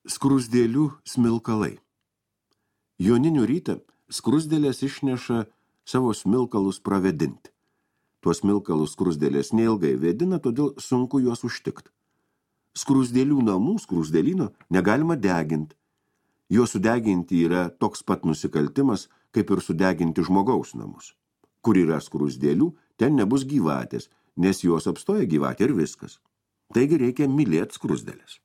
Skruzdėlių smilkalai. Joninių rytą skruzdėlės išneša savo smilkalus pravedinti. Tuos smilkalus skruzdėlės neilgai vėdina, todėl sunku juos užtikti. Skruzdėlių namų, skruzdėlyno, negalima deginti. Jo sudeginti yra toks pat nusikaltimas, kaip ir sudeginti žmogaus namus. Kur yra skruzdėlių, ten nebus gyvatės, nes jos apstoja gyvatė ir viskas. Taigi reikia mylėti skruzdėlės.